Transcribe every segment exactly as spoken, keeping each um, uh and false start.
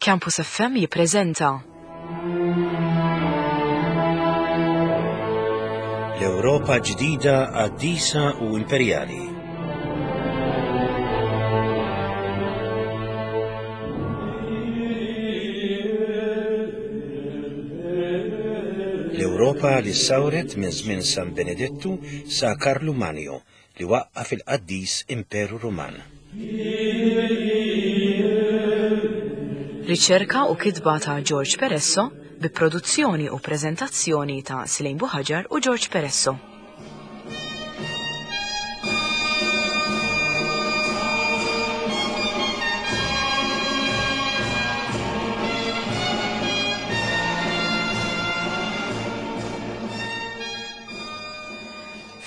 Campus F M jippreżenta L-Ewropa ġdida qaddisa u imperjali. L-Ewropa li sawret minn żmien San Benedettu sa Karlu Magno li waqqaf il-qaddis Imperu Ruman. Riċerka u kitba ta' George Peresso bi produzzjoni u preżentazzjoni ta' Selaine Buhagiar u George Peresso.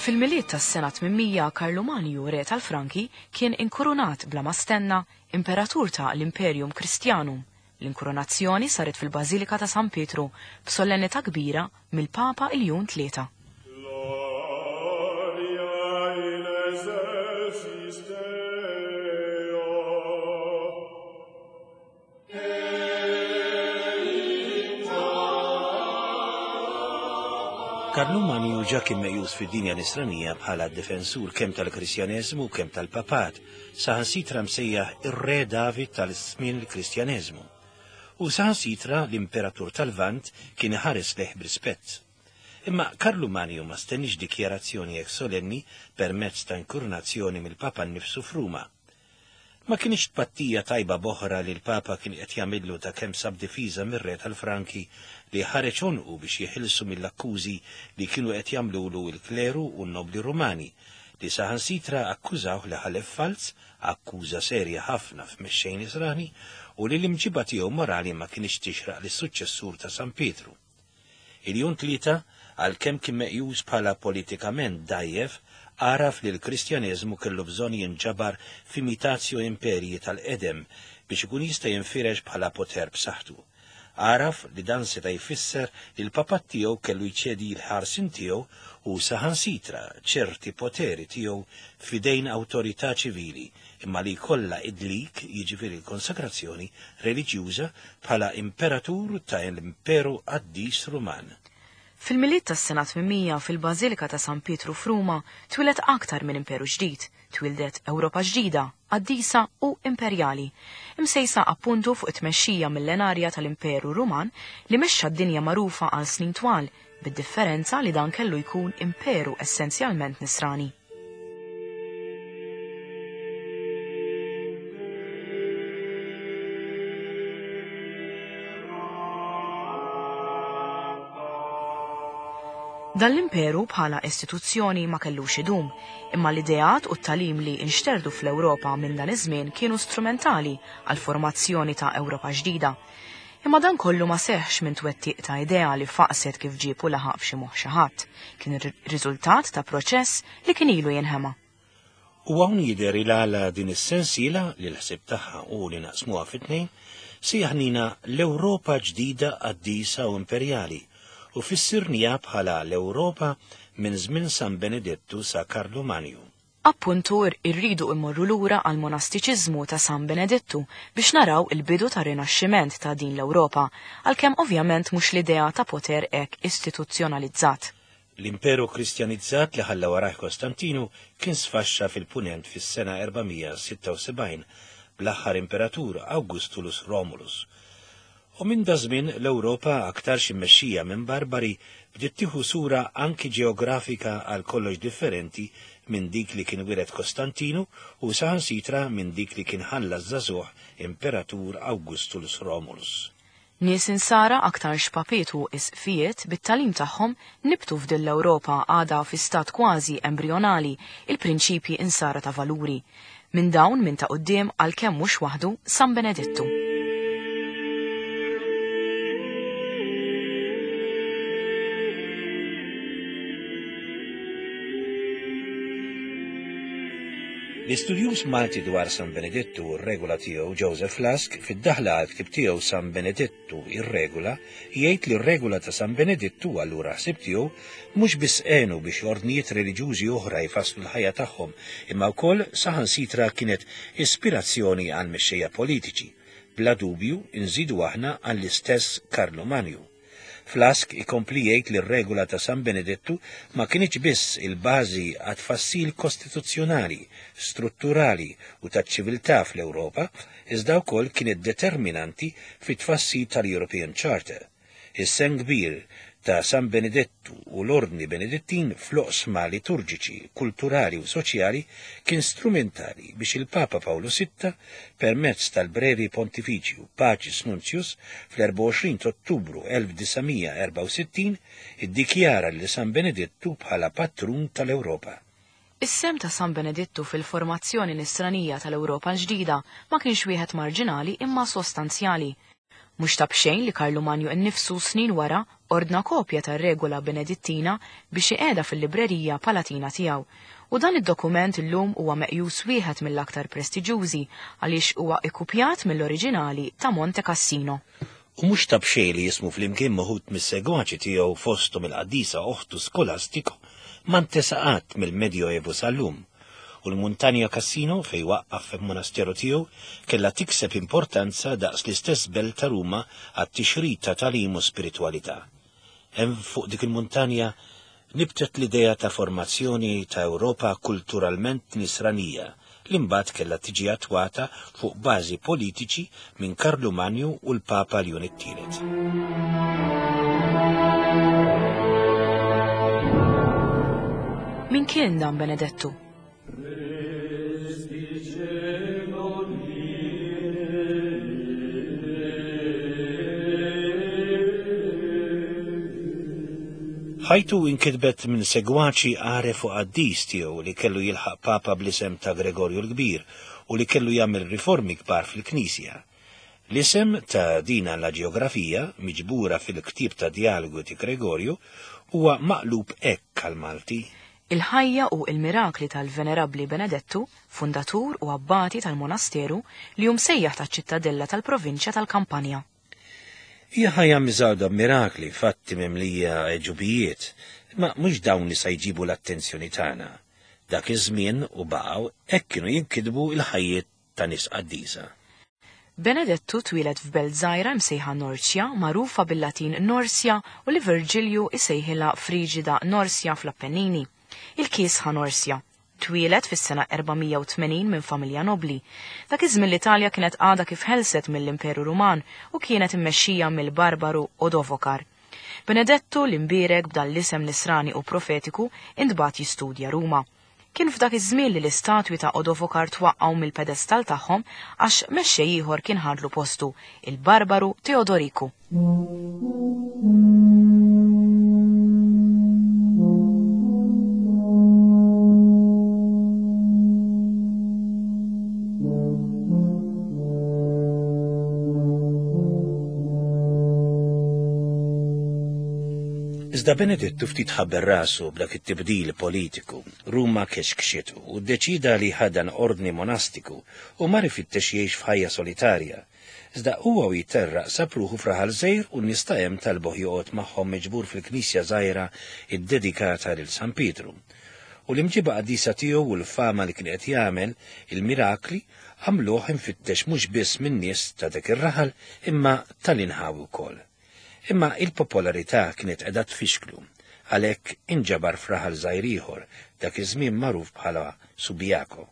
Fil-Milied tas-sena tmienmija, Karlu Magno, re tal-Franki, kien inkurunat bla ma stenna imperatur ta' l-Imperium Christianum. L-inkurunazzjoni saret fil-Bażilika ta' San Pietru b'solennità kbira mill-Papa Iljun Tlieta. Karlu Magno ġa kien meqjus fid-dinja nisranija bħala difensur kemm tal-Kristjaneżmu u kemm tal-Papat, saħansitra msejjaħ ir-Re David tal-żmien il-Kristjaneżmu. U saħansitra l-Imperatur tal-Lvant kien iħares lejh b'rispett. Imma Karlu Magno ma stenniex dikjarazzjoni hekk solenni permezz ta' inkurunazzjoni mill-Papa nnifsu f'Ruma. Ma kienx tpattija tajba boħra li l-Papa kien qed jagħmillu ta' kemm sab difiża mir-re tal-Franki li ħareġ għonqu biex jeħilsu mill-akkużi li kienu qed jagħmlulu l-kleru u n-nobli Rumani, li saħansitra akkużawh li ħalef falz, akkuża serja ħafna f'mexxej Nisrani, u li l-imġiba tiegħu morali ma kienx tixraq lis-suċċessur ta' San Pietru. Iljun Tlieta, għalkemm kien meqjus bħala politikament dajjef, għaraf li l-Kristjaneżmu kellu bżonn jinġabar f'imitatio imperji tal-qedem biex ikun jista' jinfirex bħala poter b'saħħtu. Għaraf li dan seta' jfisser li l-papat tiegħu kellu jċedi l-ħarsin tiegħu u saħansitra ċerti poteri tiegħu f'idejn awtorità ċivili, imma li jkollha idlik, jiġifieri l-konsakrazzjoni reliġjuża bħala imperatur ta' l-Imperu Qaddis Ruman. Fil-Milied tas-sena tmienmija fil-Bażilika ta' San Pietru f'Ruma twieled aktar minn imperu ġdid, twildet Ewropa ġdida, qaddisa u imperjali, imsejsa appuntu fuq it-tmexxija millenarja tal-Imperu Ruman li mexxa d-dinja magħrufa għal snin twal, bid-differenza li dan kellu jkun imperu essenzjalment nisrani. Dan l-imperu bħala istituzzjoni ma kellux idum, imma l-ideat u t-talim li nxterdu fl-Ewropa minn dan iż-żmien kienu strumentali għal formazzjoni ta' Ewropa ġdida. Imma dan kollu ma seħħx minn twettiq ta' idea li faqset kif ġieb u laħaq f'xi moħħ xi ħadd. Kien ir-riżultat ta' proċess li kien ilu jinħema. U hawn jidher il-għala din is-sensiela li l-ħsieb tagħha u li naqsmuha fit-tnejn sejjaħnina l-Ewropa ġdida qaddisa u imperjali, u fissirnija bħala l-Ewropa minn żmien San Benedettu sa Karlu Magno. Appuntu irridu immorru lura għal monastiċiżmu ta' San Benedettu biex naraw il-bidu ta' rinaxximent ta' din l-Ewropa, għalkemm ovvjament mhux l-idea ta' poter hekk istituzzjonalizzat. L-imperu kristjanizzat li ħalla warajh Kostantinu kien sfaxxa fil-punent fis-sena erbamija sitta u sebgħin bl-aħħar imperatur Augustulus Romulus. U minn da żmien l-Ewropa aktarx immexxija minn barbari bdiet tieħu sura anki ġeografika għal kollox differenti minn dik li kien wiret Kostantinu u saħansitra minn dik li kien ħalla żagħżugħ imperatur Augustulus Romulus. Nies insara aktar xpapiet u isqfijiet bit-talim tagħhom nibtu f'din l-Ewropa għadha fi stat kważi embrjonali il-prinċipji insara ta' valuri. Minn dawn minn ta' quddiem għalkemm mhux waħdu San Benedettu. L-istudjuż Malti dwar San Benedettu u r-regola tiegħu Joseph Lusk fid-daħla għal ktib tiegħu San Benedettu ir-regola jgħid li r-regola ta' San Benedettu allura ħsieb tiegħu mhux biss għenu biex ordnijiet reliġjużi oħra jfasslu l-ħajja tagħhom, imma wkoll saħansitra kienet ispirazzjoni għal mexxejja politiċi, Bla dubju inżidu aħna għall-istess Karlu Manju. Flask ikompli jgħid li r-regola ta' San Benedettu ma kienx biss il-bażi għat-tfassil kostituzzjonali, strutturali u taċ-ċiviltà fl-Ewropa, iżda wkoll kienet determinanti fit-tfassil tal-European Charter. Is-sehem kbir ta' San Benedettu u l-Ordni Benedettin fl-oqsma liturġiċi, kulturali u soċjali kien strumentali biex il-Papa Pawlu Sitta permezz tal-brevi pontifiċju Pacis Nuntius fl-erbgħa u għoxrin ta' Ottubru elf disa' mija erbgħa u sittin iddikjara li San Benedettu bħala patrun tal-Ewropa. Is-sehem ta' San Benedettu fil-formazzjoni nisranija tal-Ewropa l-ġdida ma kienx wieħed marġinali imma sostanzjali. Mhux ta' b'xejn li Karlu Manju nnifsu snin wara ordna kopja tar-regola Benedittina biex iqiegħda fil-librerija palatina tiegħu. U dan id-dokument illum huwa meqjus wieħed mill-aktar prestiġjużi għaliex huwa ikkupjat mill-oriġinali ta' Monte Cassino. U mhux ta' b'xejn li jismu flimkien moħut mis-segwaċi tiegħu fosthom il-qaddisa oħtu Skolastiku ma ntesa qatt mill-Medjoevu sal-lum. U l-Muntanja Cassino fej waqqaf fil-monasteru tiegħu kellha tikseb importanza daqs l-istess belt ta' Ruma għat-tixrid ta' tagħlim u spiritwalità. Hemm fuq dik il-muntanja nibtet l-idea ta' formazzjoni ta' Ewropa kulturalment nisranija li mbagħad kellha tiġi attwata fuq bażi politiċi minn Karlu Manju u l-Papa Ljun it-Tielet. Min kien dan Benedettu? Ħajtu inkitbet minn segwaċi għaref u qaddis tiegħu li kellu jilħaq Papa bl-isem ta' Gregorju l-Kbir u li kellu jagħmel riformi kbar fil-Knisja. L-isem ta' dina la ġeografija, miġbura fil-ktieb ta' Dialogu ti Gregorju, huwa maqlub hekk għal-Malti. Il-ħajja u il-mirakli tal-Venerabbli Benedettu, fundatur u abbati tal-monasteru li hu msejjaħ taċ-ċittadella tal-provinċja tal-Kampanja. Hija ħajja miżgħuda b'mirakli, fatti mimlija għeġubijiet, ma mhux dawn li se jġibu l-attenzjoni tagħna. Dak iż-żmien u baqgħu hekk kienu jinkitbu l-ħajjiet ta' nies qaddisa. Benedettu twieled f'belt żgħira msejħa Norcia, magħrufa bil-Latin Norsja u li Virgilju isejħilha Frigida Norsja fl-Appennini. Il-kiesħa Norsja. Twieled fis-sena erba' mija u tmenin minn familja nobli. Dak iż-żmien l-Italja kienet għadha kif ħelset mill-Imperu Ruman u kienet immexxija mill-Barbaru Odovokar. Benedettu l-imbierek b'dan l-isem nisrani u profetiku intbagħat jistudja Ruma. Kien f'dak iż-żmien li l-istatwi ta' Odovokar twaqqgħu mill-pedestal tagħhom għax mexxej ieħor kien ħadlu postu, il-Barbaru Teodoriku. Iżda Benedettu ftit ħabber rasu b'dak it-tibdil politiku, Ruma kexkxitu u ddeċida li ħadan ordni monastiku u mar ifittex jgħix f'ħajja solitarja. Iżda huwa u jiterraq sab ruħu f'raħal żgħir u n-nies ta' hemm talbuh joqgħod magħhom miġbur fil-knisja żgħira iddedikata lil San Pietru. U l-imġiba qaddisa tiegħu u l-fama li kien qed jagħmel il-mirakli għamluh infittex mhux biss min-nies ta' dak ir-raħal imma tal-inħawi wkoll. Imma il-popolarità kienet qiegħda tfixklu, għalhekk inġabar f'raħal żgħir ieħor dak iż-żmien magħruf bħala Subiaco,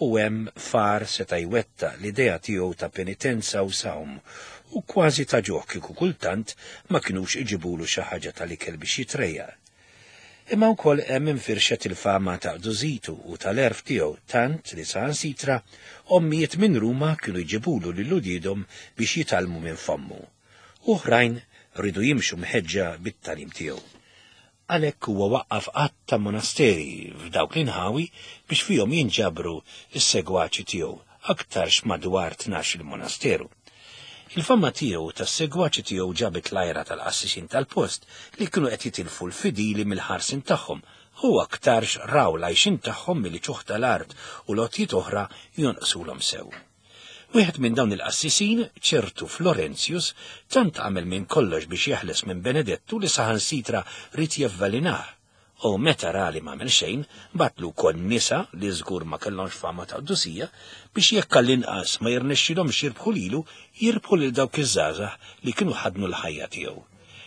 u hemm far seta' jwettaq l-idea tiegħu ta' penitenza u sawm u kważi ta' ġuħ kieku kultant ma kinux iġibulu xi ħaġa tal-ikel biex jitrejjaq. Imma wkoll hemm infirxet il-fama ta' qdużitu u tal-erf tiegħu tant li saħansitra ommijiet minn Ruma kienu jġibulu lil uliedhom biex jitgħallmu minn fommu. Oħrajn rridu jimxu mħeġġa bit-tagħlim tiegħu. Għalhekk huwa waqqaf qatt ta' monasteri f'dawk l-inħawi biex fihom jinġabru s-segwaċi tiegħu, aktarx madwar tnax il-monasteru. Il-fama tiegħu tas-segwaċi tiegħu ġabet l-ajra tal-qassisin tal-post li kienu qed jitilfu l-fidili mill-ħarsin tagħhom u aktarx raw l-għajxin tagħhom milli ċuħ tal-art u lotjiet oħra jonqsulhom sew. Wieħed minn dawn il-qassisin, ċertu Florentius, tant għamel minn kollox biex jeħles minn Benedettu li saħansitra ried jevvalinah. U meta ra li m'għamel xejn, bagħatlu wkoll nisa li żgur ma kellhomx fama ta' qdusija biex jekk għall-inqas ma jirnexxilhomx jirbħu lilu, jirbħu lil dawk iż-żgħażagħ li kienu ħadnu l-ħajja tiegħu.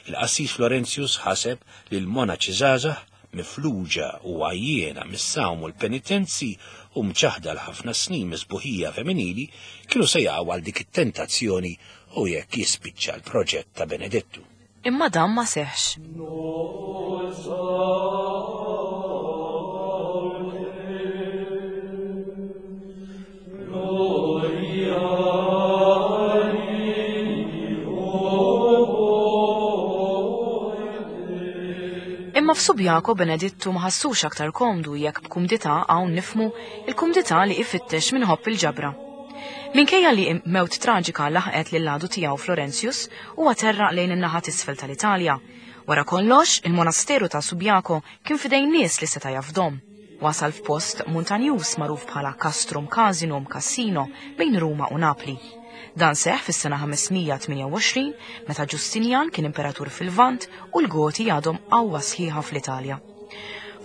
Il-qassis Florentius ħaseb li l-monaċi żgħażagħ mifluġa u għajjiena mis-sawm u l-penitenzi u mċaħda l-ħafna snin misbuħija femminili kienu se jaqgħu għal dik it-tentazzjoni u jekk jispiċċa l-proġett ta' Benedittu. Imma dan ma seħx. Imma f'Subiaco Benedittu ma ħassux aktar komdu jekk b'kumdità hawn nifmu il-kumdità li ifittex minħobb il-ġabra. Minkejja li mewt traġika laħqet lil għadu tiegħu Florentius, huwa terraq lejn in-naħa t'isfel tal-Italja. Wara kollox, il-monasteru ta' Subiaco kien f'idejn nies li seta' jafdom. Wasal f'post montanjuż magħruf bħala Castrum Casinum Cassino bejn Ruma u Napli. Dan seħ fis-sena ħames mija tmienja u għoxrin meta Ġustinjan kien imperatur fil-Lvant u l-Goti għadhom qawwa sħiħa fl-Italja.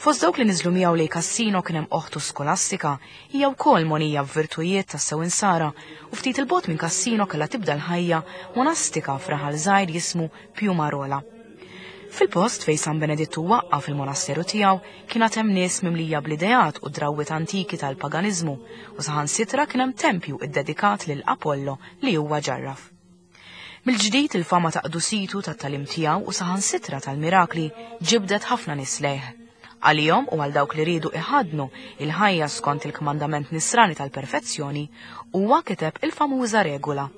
Fost dawk li niżlu miegħu lejn Cassino kien hemm oħtu Skolastika, hija wkoll monija b'virtujiet tas-sew insara, u ftit il-bogħod minn Cassino kellha tibda l-ħajja monastika f'raħal żgħir jismu Piumarola. Fil-post fejn San Benedittu waqqaf il-monasteru tiegħu kien għad hemm nies mimlija bl-ideat u drawwiet antiki tal-paganiżmu, u saħansitra kien hemm tempju iddedikat lil Apollo li huwa ġarraf. Mill-ġdid il-fama ta' qdusitu, tat-tagħlim tiegħu u saħansitra tal-mirakli ġibdet ħafna nies lejh. Għalihom u għal dawk li riedu iħadnu il-ħajja skont il-kmandament nisrani tal-perfezzjoni, huwa kiteb il-famuża regola.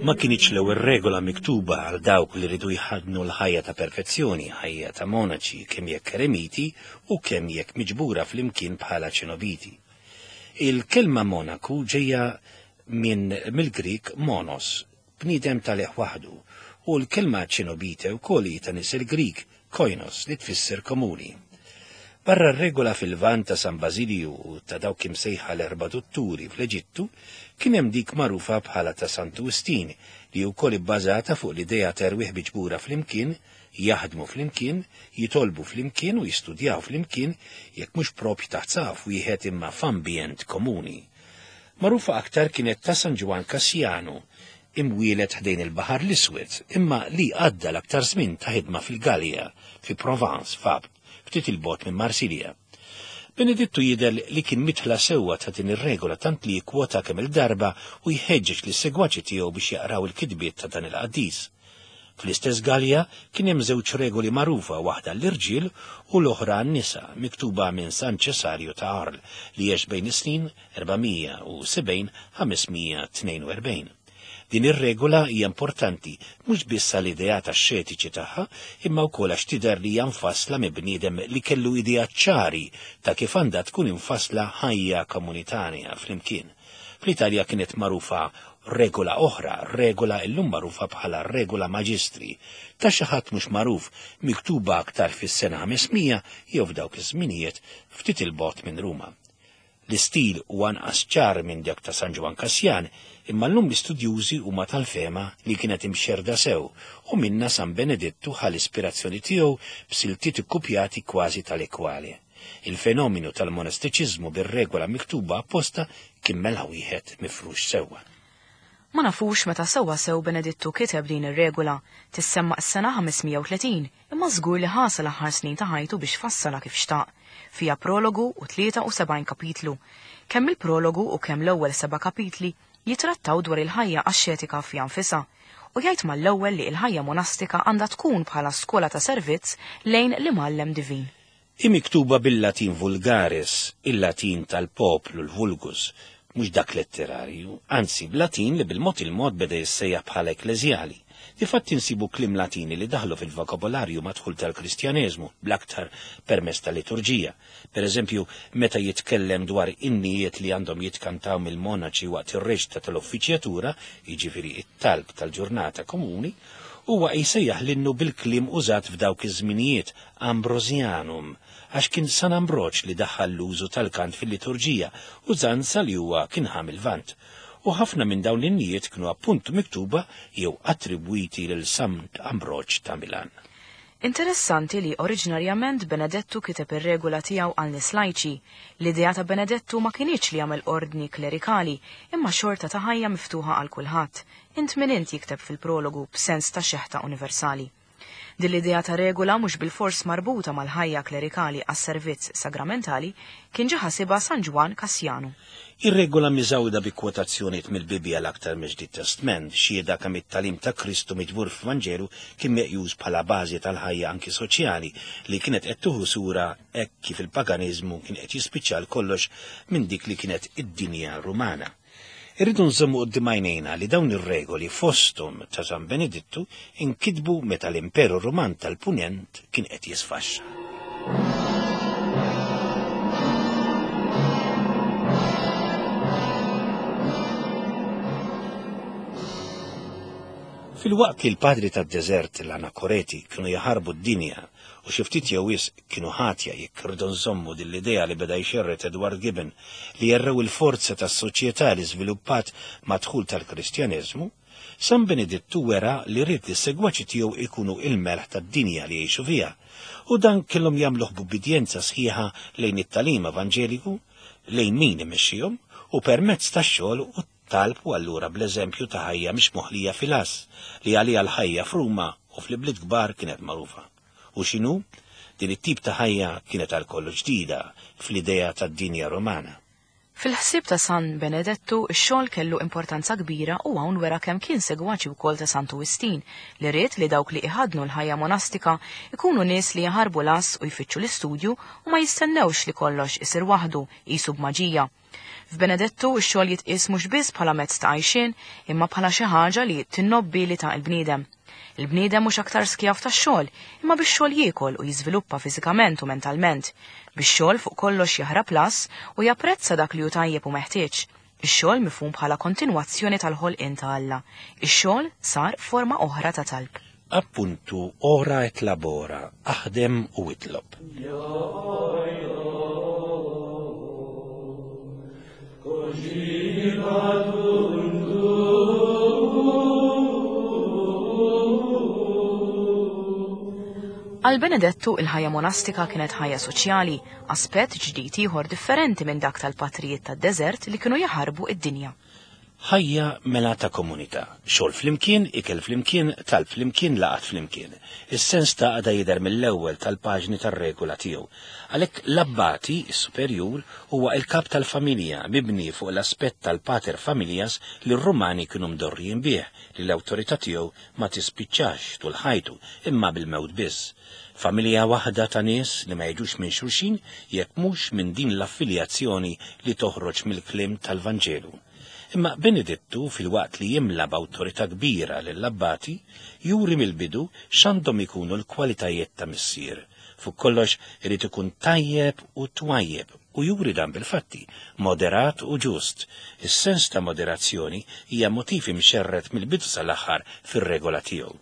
Ma kinitx l-ewwel regola miktuba għal dawk li rridu jħadnu l-ħajja ta' perfezzjoni, ħajja ta' monaċi, kemm jekk eremiti u kemm jekk miġbura flimkien bħala ċenobiti. Il-kelma monaku ġejja minn mill-Grik monos, bniedem tal-eħ waħdu, u l-kelma ċenobite wkoll hi ta' nisel Grik, koinos, li tfisser komuni. Barra r-regola fil-Lvant ta' San Basilju u ta' dawk imsejħa l-erba' dutturi fl-Eġittu, kien hemm dik magħrufa bħala ta' Santu Wistin, li wkoll ibbażata fuq l-idea ta' erwieħ miġbura flimkien, jaħdmu flimkien, jitolbu flimkien u jistudjaw flimkien, jekk mhux propju taħt saqaf wieħed imma f'ambjent komuni. Magħrufa aktar kienet ta' San Ġwann Kassjanu, imwielet ħdejn il-Baħar l-Iswed, imma li għadda l-aktar żmien ta' ħidma fil-Gallia, fi Provence, f'Abt, ftit il-bogħod minn Marsilja. Benedittu jidher li kien mitħla sewwa ta' din ir-regola tant li jikkwota kemm il-darba u jħeġġeġ lis-segwaċi tiegħu biex jaqraw il-kitbiet ta' dan il-qaddis. Fl-istess Gallia kien hemm żewġ regoli magħrufa, waħda l-irġiel u l-oħra għan-nisa, miktuba minn San Ċesarju ta' Arles li għex bejn is-snin erbamija u sebgħin ħames mija tnejn u erbgħin. Din ir-regola hija importanti mhux biss għall-ideat axxetiċi tagħha, imma wkoll għax tidher li hija mfassla minn bniedem li kellu idea ċari ta' kif għandha tkun imfassla ħajja komunitarja flimkien. Fl-Italja kienet magħrufa regola oħra, regola illum magħrufa bħala regola maġistri, ta' xi ħadd mhux magħruf, miktuba aktar fis-sena ħames mija jew f'dawk iż-żminijiet ftit il-bogħod minn Ruma. L-istil huwa anqas ċar minn dak ta' San Ġwann Kassjan, imma llum l-istudjużi huma tal-fehma li kienet imxerda sew u minna San Benedittu ħa l-ispirazzjoni tiegħu b'siltiet ikkupjati kważi tal-ekwali. Il-fenomenu tal-monastiċiżmu bir-regola miktuba apposta kien mela wieħed mifrux sewwa. Ma nafux meta sewwa sew Benedittu kiteb din ir-regola, tissemma s-sena ħames mija u tletin, imma żgur li ħasa l-aħħar snin ta' ħajtu biex fassala kif xtaq. Fija prologu u tlieta u sebgħin kapitlu. Kemm il-prologu u kemm l-ewwel seba' kapitli jitrattaw dwar il-ħajja axxetika fija nfisha, u jgħid mal-ewwel li l-ħajja monastika għandha tkun bħala skola ta' servizz lejn l-imgħallem divin. Hi miktuba bil-Latin vulgaris, il-Latin tal-poplu, l-vulgus, mhux dak letterarju, anzi b'Latin li bil-mod il-mod beda jissejjaħ bħala ekkleżjali. Difatti nsibu kliem Latini li daħlu fil-vokabolarju madħul tal-Kristjaneżmu bl-aktar permezz tal-liturġija. Per eżempju, meta jitkellem dwar innijiet li għandhom jitkantaw mill-monaċi waqt ir-reċta tal-uffiċjatura, jiġifieri it-talb tal-ġurnata komuni, huwa jsejjaħ l-innu bil-kliem użat f'dawk iż-żminijiet Ambrosianum, għax kien San Ambroġ li daħħal l-użu tal-kant fil-liturġija, użanza li huwa kien ħa mil-Lvant. U ħafna minn dawn l-innijiet kienu appuntu miktuba jew attribwiti lil Sant Ambroġ ta' Milan. Interessanti li oriġinarjament Benedettu kiteb ir-regola tiegħu għal nies lajċi. L-idea ta' Benedettu ma kinitx li jagħmel ordni klerikali, imma xorta ta' ħajja miftuħa għal kulħadd. Int min int jikteb fil-prologu b'sens ta' xeħta universali. Din l-idea ta' regola mhux bilfors marbuta mal-ħajja klerikali għas-servizz sagramentali kien ġa ħasibha San Ġwann Kassjanu. Ir-regola miżgħuda bi kwotazzjonijiet mill-Bibbja l-aktar mill-Ġdid Testment, xhieda kemm it-tagħlim ta' Kristu miġbur f'Vanġelu kien meqjus bħala bażi tal-ħajja anki soċjali li kienet qed tieħu sura hekk kif il-paganiżmu kien qed jispiċċa għal kollox minn dik li kienet id-dinja Rumana. Irridu nżommu quddiem għajnejna li dawn ir-regoli fosthom ta' San Benedittu inkitbu meta l-Imperu Ruman tal-Punent kien qed jisfaxxa. Fil-waqt li l-padri tad-deżert l-anakoreti kienu jaħarbu d-dinja u xi ftit jew wisq kienu ħatja jekk irridu nżommu din l-idea li beda jxerred Edward Gibbon li jerrew il-forza tas-soċjetà li żviluppat mad-dħul tal-Kristjaneżmu, San Benedittu wera li ried li s-segwaċi tiegħu ikunu il-melħ tad-dinja li jgħixu fiha, u dan kellhom jagħmluh b'ubbidjenza sħiħa lejn it-tagħlim evanġeliku, lejn min imexxihom, u permezz tax-xogħol u talb u allura bl-eżempju ta' ħajja mhix moħlija fil-għass li għaliha l-ħajja f'Ruma u fl-ibliet kbar kienet magħrufa. U x'inhu? Din it-tip ta' ħajja kienet għal kollox ġdida fl-idea tad-dinja Romana. Fil-ħsieb ta' San Benedettu, ix-xogħol kellu importanza kbira u hawn wera kemm kien segwaċi wkoll ta' Santu Wistin li ried li dawk li iħadnu l-ħajja monastika ikunu nies li jaħarbu l-għass u jfittxu l-istudju u ma jistennewx li kollox isir waħdu qisu b'maġija. F'Benedettu x-xogħol jitqies mhux biss bħala mezz ta' għajxien imma bħala xi ħaġa li tinnobbi ta' il-bniedem. Il-bniedem mhux aktar skjav tax-xogħol, imma bix-xogħol jiekol u jiżviluppa fiżikament u mentalment. Bix-xogħol fuq kollox jaħrab las u japprezza dak li hu tajjeb u meħtieġ. Ix-xogħol mifhum bħala kontinwazzjoni tal-ħolqien ta' Alla. Ix-xogħol sar forma oħra ta' talb. Appuntu ora et labora, aħdem u itlob. Għal Benedettu il-ħajja monastika kienet ħajja soċjali, aspett ġdid ieħor differenti minn dak tal-patrijiet tad-deżert li kienu jaħarbu id-dinja. Ħajja mela ta' komunità, xogħol flimkien, ikel flimkien, talb flimkien, laqat flimkien. Is-sens ta' għada jidher mill-ewwel tal-paġni tar-regola tiegħu. Għalhekk l-abbati, is-superjur, huwa il-kap tal-familja mibni fuq l-aspett tal-pater familias li r-Rumani kienu mdorrijin bih, li l-awtorità tiegħu ma tispiċċax tul ħajtu imma bil-mewt biss. Familja waħda ta' nies li ma jiġux minn xulxin jekk mhux minn din l-affiljazzjoni li toħroġ mill-kliem tal-Vanġelu. Imma Benedettu, fil-waqt li jimla b'awtorità kbira lill-abbati, juri mill-bidu x'għandhom ikunu l-kwalitajiet ta' missier. Fuq kollox irid ikun tajjeb u twajjeb u juri dan bil-fatti, moderat u ġust. Is-sens ta' moderazzjoni hija motiv imxerred mill-bidu sal-aħħar fir-regola tiegħu.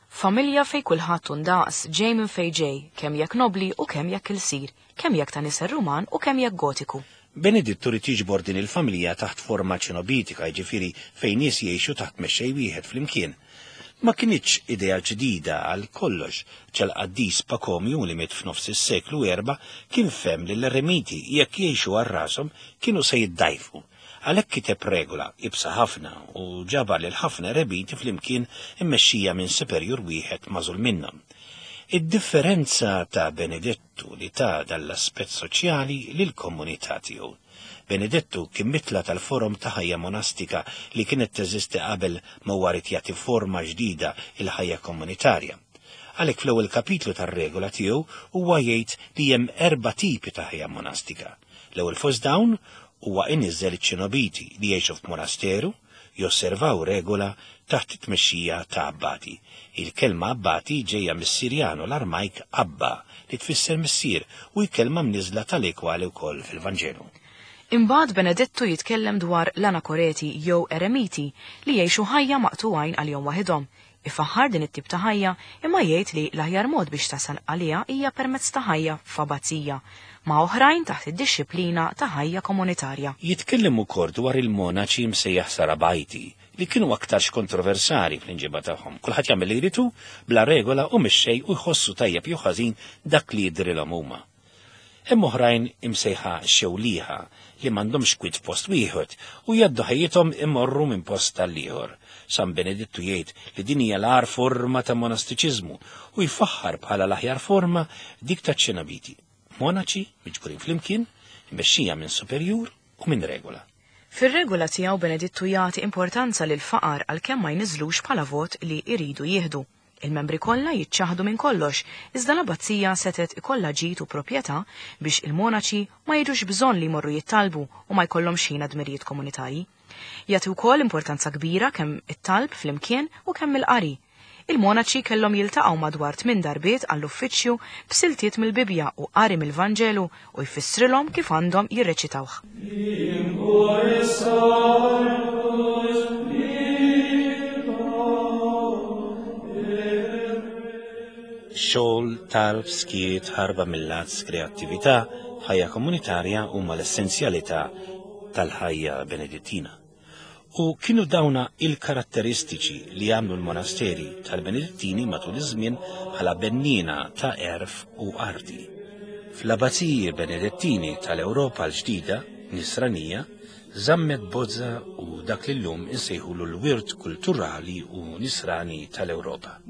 Familja fej kulħadd ndaqs, ġej minn fej ġej, kemm jekk nobli u kemm jekk ilsir, kemm jekk ta' nisel Ruman u kemm jekk Gotiku. Benedittu rid jiġbor din il-familja taħt forma ċenobitika, jiġifieri fejn nies jgħixu taħt mexxej wieħed flimkien. Ma kinitx idea ġdida għal kollox, ċal-qaddis Pakomju li miet f'nofs is-seklu erba' kien fem li l-eremiti jekk jgħixu għal rashom kienu se jiddajfu. Għalhekk kiteb regola ibsa ħafna u ġabar lil ħafna eremiti flimkien immexxija minn superjur wieħed magħżul minnhom. Id-differenza ta' Benedettu li ta' dall-aspett soċjali lill-komunità tiegħu. Benedettu kien mitla tal-forum ta' ħajja monastika li kienet teżisti qabel ma huwa rid jagħti forma ġdida il-ħajja komunitarja. Għalhekk fl-ewwel kapitlu tar-regola tiegħu huwa jgħid li hemm erba' tipi ta' ħajja monastika. L-ewwel fost dawn huwa iniżżel iċ-ċenobiti li jgħixu f'monasteru, josservaw regola taħt it-tmexxija ta' abbati. Il-kelma abbati ġejja mis-Sirjanu l-Armajk Abba li tfisser missier u l-kelma mniżla tal-ekwali wkoll fil-Vanġelu. Imbagħad Benedettu jitkellem dwar l-anakoreti jew eremiti li jgħixu ħajja maqtugħin għalihom waħedhom, Ifaħħar din it-tip ta' ħajja imma jgħid li l-aħjar mod biex tasal għaliha hija permezz ta' ħajja f'abbazija, ma' oħrajn taħt id-dixxiplina ta' ħajja komunitarja. Jitkellem ukoll dwar il-monaċi msejjaħ Sarabajti li kienu aktarx kontroversali fl-inġiba tagħhom. Kulħadd jagħmel li jridu bla regola u mixxej u jħossu tajjeb jew ħażin dak li jidrilhom huma. Hemm oħrajn imsejħa xewliħa li m'għandhomx kwiet f'post wieħed u jgħaddu ħajjithom imorru minn post tal-ieħor. San Benedittu jgħid li din hija l-agħar forma ta' monastiċiżmu u jfaħħar bħala l-aħjar forma dik ta' ċenabiti. Monaċi miġburin flimkien, imexxija minn superjur u minn regola. Fir-regola tiegħu Benedittu jagħti importanza lil faqar għalkemm ma jniżlux bħala vot li jridu jieħdu. Il-membri kollha jiċċaħdu minn kollox, iżda l-abbazija setet ikollha ġid u proprjetà biex il-monaċi ma jiġux bżonn li jmorru jittalbu u ma jkollhomx ħin dmirijiet komunitarji. Jagħti wkoll importanza kbira kemm it-talb flimkien u kemm il-qari. Il-monaċi kellhom jiltaqgħu madwar tmien darbiet għall-uffiċċju b'siltiet mill-Bibbja u qari mill-Vanġelu u jfissrilhom kif għandhom jirreċitawh. Xogħol, talb, skiet, ħarba mill-lazz, kreattività, ħajja komunitarja huma l-essenzjalità tal-ħajja Benedittina. U kienu dawna il-karatteristiċi li għamlu l-monasteri tal-Benedittini matul iż-żmien bħala bennina ta' erf u arti. Fl-abbaziji Benedettini tal-Ewropa l-ġdida, nisranija, żammet bozza u dak li llum insejħulu l-wirt kulturali u nisrani tal-Ewropa.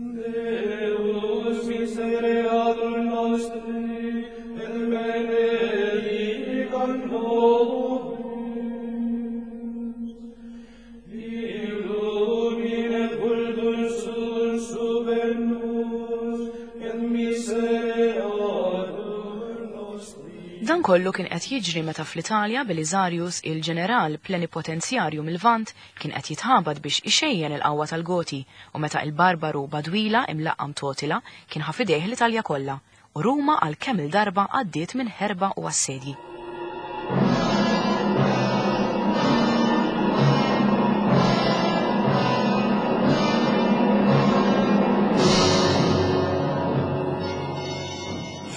Dan kollu kien qed jiġri meta fl-Italja Belisarius il-ġeneral plenipotenzjarju mill-Lvant kien qed jitħabad biex ixejjen il-qawwa tal-Goti u meta il-barbaru Badwila imlaqqam Totila kien ħa f'idejh l-Italja kollha u Ruma għal kemm il-darba għaddiet minn ħerba u assedji.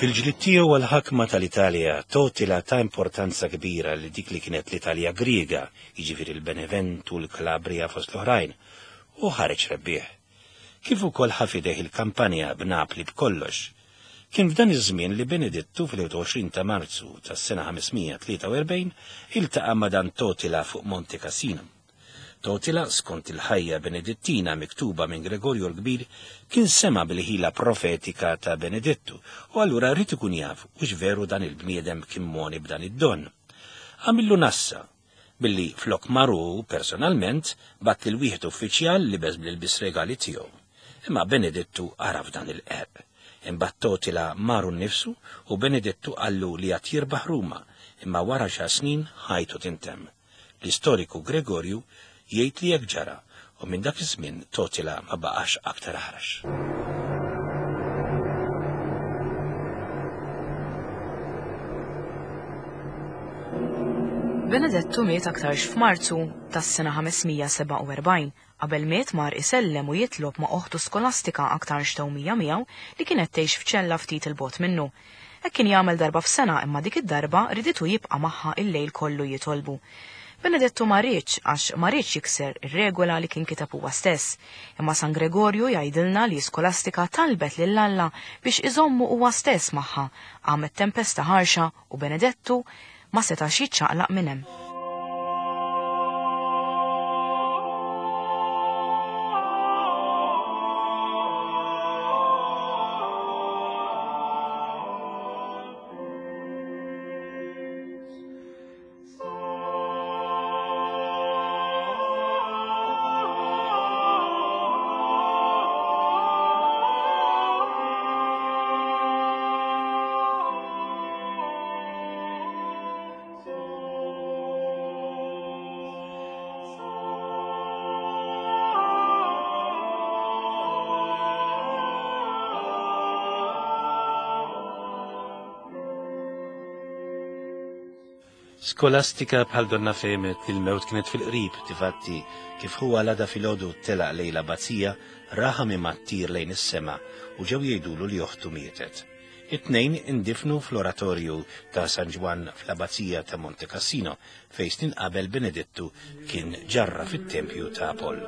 Fil-ġlied tiegħu għall-ħakma tal-Italja, Totila ta' importanza kbira li dik li kienet l-Italja Griega, jiġifieri l-Beneventu, l-Kalabria fost l-oħrajn, u ħareġ rebbieħ. Kif ukoll ħa f'idejh il-kampanja b'Napli b'kollox. Kien f'dan iż-żmien li Benedittu fil-wieħed u għoxrin ta' Marzu tas-sena ħamesmija tlieta u erbgħin iltaqa' ma' dan Totila fuq Monte Cassino. Totila, skont il-ħajja Benedittina miktuba minn Gregorju l-Kbir, kien sema bil-ħila profetika ta' Benedittu u allura rrid ikun jaf hux veru dan il-bniedem kien moni b'dan id-don. Għamillu nassa, billi flok maru personalment bat lil wieħed uffiċjal li beż bl-ilbis regali tiegħu. Imma Benedittu għaraf dan il-qerq. Imbagħad Totila maru nnifsu u Benedittu qallu li għad jirbaħ Ruma, imma wara xi snin ħajtu tintemm. L-istoriku Gregorju jgħid li hekk ġara u minn dak iż-żmien Totila ma baqax aktar aħrax. Benedettu miet aktarx f'Marzu tas-sena ħamesmija sebgħa u erbgħin, qabel miet mar isellem u jitlob ma' oħtu Skolastika aktarx tewmija miegħu li kienet tgħix f'ċella ftit il-bogħod minnu. Hekk kien jagħmel darba f'sena imma dik id-darba riditu jibqa' magħha il-lejl kollu jitolbu. Benedettu ma riedx għax ma riedx jikser ir-regola li kien kiteb huwa stess. Imma San Gregorju jgħidilna li Skolastika talbet lil Alla biex iżommu huwa stess magħha. Qamet tempesta ħarxa u Benedettu ma setax jiċċaqlaq minn hemm. Skolastika bħal donna fehmet li l-mewt kienet fil-qrib, tifatti kif huwa l-għada filgħodu telaq lejn l-abbazija, raha minn ttir lejn is-sema u ġew jgħidulu li oħtu mietet. It-tnejn indifnu fl-oratorju ta' San Ġwann fl-abbazija ta' Monte Cassino, fejn snin qabel Benedettu kien ġarra fit-tempju ta' Apollo.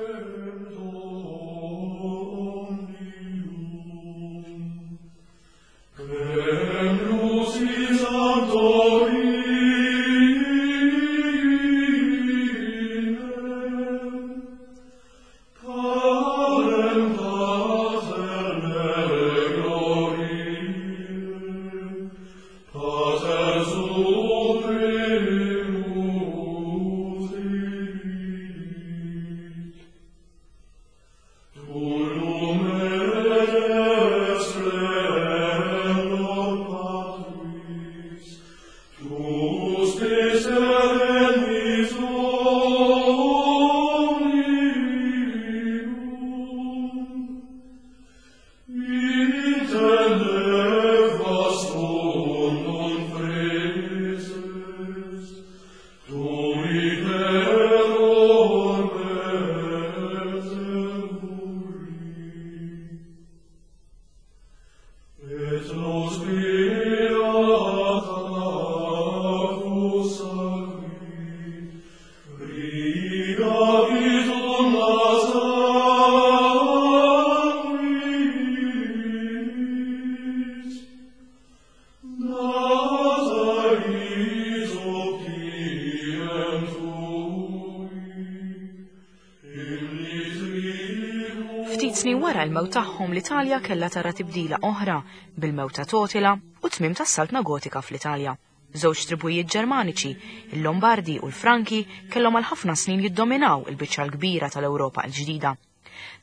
Ftit snin wara l-mewt tagħhom l-Italja kellha tara tibdila oħra bil-mewt ta' Totila u tmiem tas-Saltna Gotika fl-Italja. Żewġ tribujiet Ġermaniċi, il-Lombardi u l-Franki, kellhom għal ħafna snin jiddominaw il-biċċa l-kbira tal-Ewropa l-ġdida.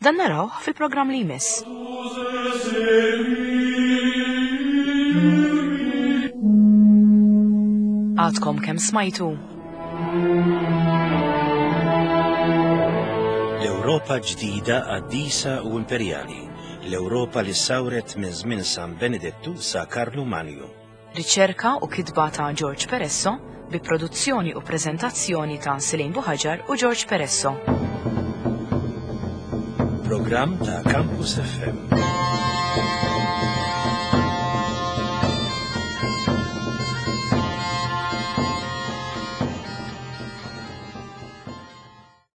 Dan narawh fil-programm li jmiss. Għadkom kemm smajtu. L-Ewropa ġdida qaddisa u imperjali, l-Ewropa li sawret minn żmien San Benedettu sa Karlu Manju. Riċerka u kitba ta' George Peresso bi produzzjoni u preżentazzjoni ta' Selin Buħaġar u George Peresso. Programm ta' Campus F M.